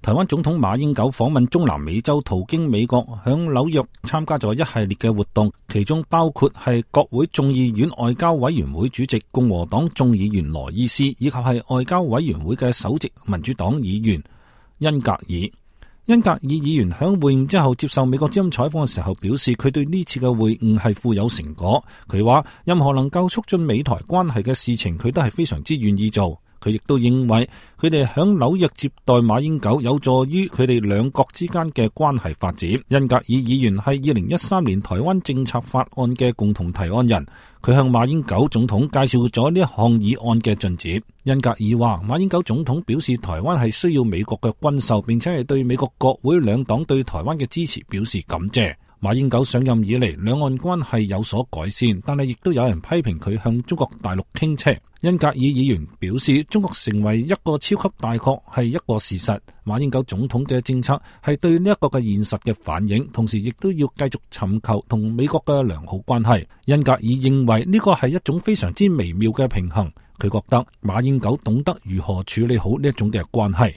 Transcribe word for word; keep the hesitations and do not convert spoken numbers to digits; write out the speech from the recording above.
台灣總統馬英九訪問中南美洲，途經美國，響紐約參加咗一系列嘅活動，其中包括係國會眾議院外交委員會主席共和黨眾議員羅伊斯，以及係外交委員會嘅首席民主黨議員恩格爾。恩格爾議員響會晤之後接受美國之音採訪嘅時候表示，佢對呢次嘅會晤係富有成果。佢話任何能夠促進美台關係嘅事情，佢都係非常之願意做。佢亦都認為佢哋響紐約接待馬英九有助於佢哋兩國之間嘅關係發展。恩格爾議員係二零一三年台灣政策法案嘅共同提案人，佢向馬英九總統介紹咗呢一項議案嘅進展。恩格爾話，馬英九總統表示台灣係需要美國嘅軍售，並且係對美國國會兩黨對台灣嘅支持表示感謝。馬英九上任以嚟，兩岸關係有所改善，但係亦都有人批評佢向中國大陸傾斜。恩格爾議員表示，中國成為一個超級大國係一個事實，馬英九總統嘅政策係對呢一個嘅現實嘅反映，同時亦都要繼續尋求同美國嘅良好關係。恩格爾認為呢個係一種非常之微妙嘅平衡，佢覺得馬英九懂得如何處理好呢一種嘅關係。